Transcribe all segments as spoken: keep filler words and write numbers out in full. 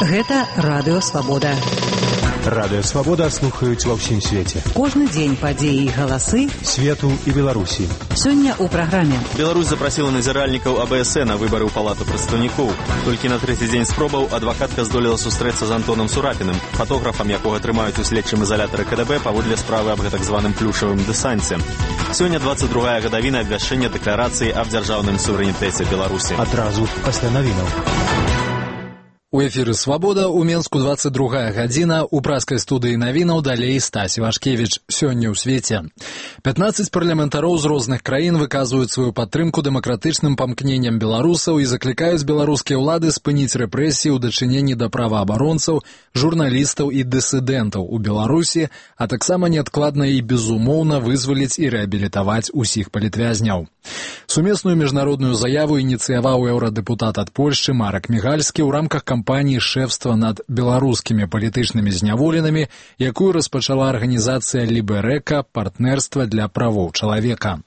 Гэта Радыё Свабода. Радыё Свабода слухаюць ва ўсім свеце. Кожны дзень падзеі і галасы свету і Беларусі. Сёння ў праграме. Беларусь запрасіла назіральнікаў А Бэ Эс Э на выбары ў палату прадстаўнікоў. Толькі на трэці дзень спробаў адвакатка здолела сустрэцца з Антонам Сурапіным, фотографам, якога трымаюць у следчым ізалятары Ка Дэ Бэ паводле справы аб гэтак званым плюшавым дэсанце. Сёння дваццаць другая гадавіна абвяшчэння дэкларацыі аб дзяржаўным суверэнітэце Беларусі. Адразу пасля навінаў. У эфіры «Свабода» у Менску дваццаць другая гадзіна, у праскай студыі навінаў далей Стась Івашкевіч. Сёння ў свеце. пятнаццаць парламентароў з розных краін выказваюць сваю падтрымку дэмакратычным памкненням беларусаў і заклікаюць беларускія ўлады спыніць рэпрэсіі ў дачыненні да праваабаронцаў, журналістаў і дысідэнтаў у Беларусі, а таксама неадкладна і безумоўна вызваліць і рэабілітаваць усіх палітвязняў. Сумесную міжнародную заяву ініцыяваў еўрадэпутат ад Польшчы Марак Мігальскі ў рамках кампаніі шэфства над беларускімі палітычнымі зняволенымі, якую распачала арганізацыя Ліберэка партнерства для правоў чалавека.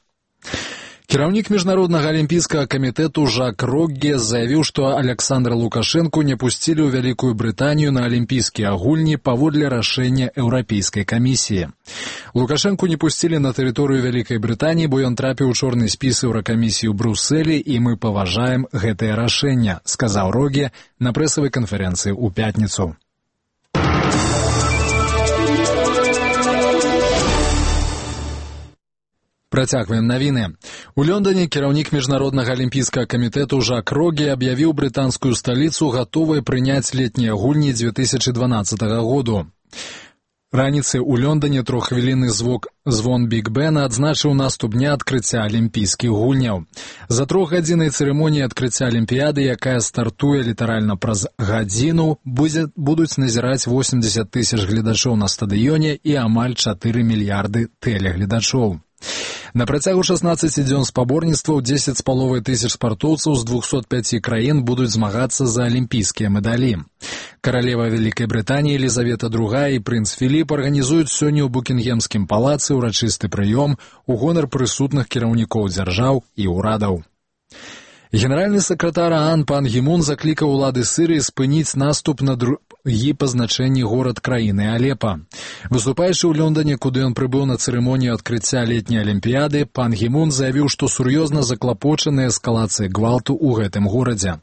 Кіраўнік міжнароднага алімпійскага камітэту Жак Рогге заявіў, што Александра Лукашэнку не пусцілі ў Вялікую Брытанію на алімпійскія гульні паводле рашэння Еўрапейскай камісіі. Лукашэнку не пусцілі на тэрыторыю Вялікай Брытаніі, бо ён трапіў у чорны спіс Еўракамісіі ў Брусэлі, і мы паважаем гэтае рашэнне, сказаў Рогге на прэсавай канферэнцыі ў пятніцу. Працягваем навіны. У Лондоне кіраўнік міжнароднага алімпійскага камітэту Жак Рогге аб'явіў брытанскую сталіцу гатовай прыняць летнія гульні дзве тысячы дванаццатага году. Раніцай у Лондоне троххвілінны звон Біг-Бена адзначыў наступ дня адкрыцця алімпійскіх гульняў. За трохгадзіннай цырымоніі адкрыцця алімпіяды, якая стартуе літаральна праз гадзіну, будуць назіраць восемдзесят тысяч гледачоў на стадыёне і амаль чатыры мільярды тэлегледачоў. На працягу шаснаццаці дзён спаборніцтваў дзесяць з паловай тысяч спартоўцаў з двухсот пяці краін будуць змагацца за алімпійскія медалі. Каралева Вялікай Брытаніі Елізавета другая і прынц Філіп арганізуюць сёння ў Букінгемскім палацы ўрачысты прыём у гонар прысутных кіраўнікоў дзяржаў і ўрадаў. Генеральны сакратар ААН пан Гі Мун заклікаў улады Сірыі спыніць наступ на другі па значэнні горад краіны Алепа. Выступаючы ў Лондоне, куды ён прыбыў на цырымонію адкрыцця летняй алімпіяды, пан Гі Мун заявіў, што сур'ёзна заклапочаны эскалацыяй гвалту ў гэтым горадзе.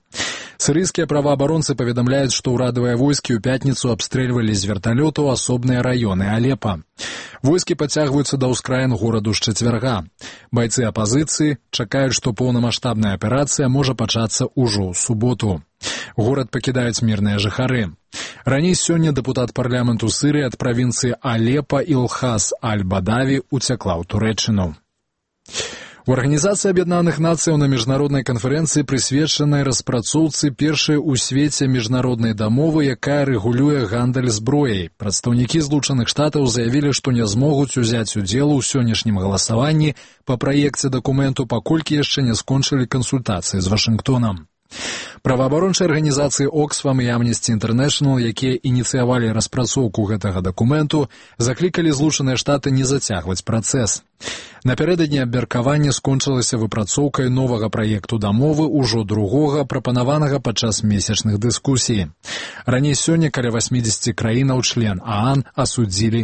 Сірыйскія праваабаронцы паведамляюць, што ўрадавыя войскі ў пятніцу абстрэльвалі з верталётаў асобныя раёны Алепа. Войскі пацягваюцца да ўскраін гораду з чацвярга. Байцы апазіцыі чакаюць, што поўнамаштабная аперацыя можа пачацца ўжо ў суботу. Горад пакідаюць мірныя жыхары. Раней сёння дэпутат парламенту Сірыі ад правінцыі Алепа Ілхас Аль-Бадаві уцякла ў Турэччыну. У Арганізацыі Аб'яднаных Нацыяў на міжнароднай канферэнцыі прысвечанай распрацоўцы першай у свеце міжнароднай дамовы, якая рэгулюе гандаль зброяй. Прадстаўнікі Злучаных Штатаў заявілі, што не змогуць узяць удзел у сённяшнім галасаванні па праекце дакументу, паколькі яшчэ не скончылі кансультацыі з Вашынгтонам. Праваабарончыя арганізацыі Оксфам і Amnesty International, якія ініцыявалі распрацоўку гэтага дакументу, заклікалі Злучаныя Штаты не зацягваць працэс. Напярэдадні абмеркавання скончылася выпрацоўкай новага праекту дамовы, ужо другога, прапанаванага падчас месячных дыскусій. Раней сёння каля васьмідзесяці краінаў член ААН асудзілі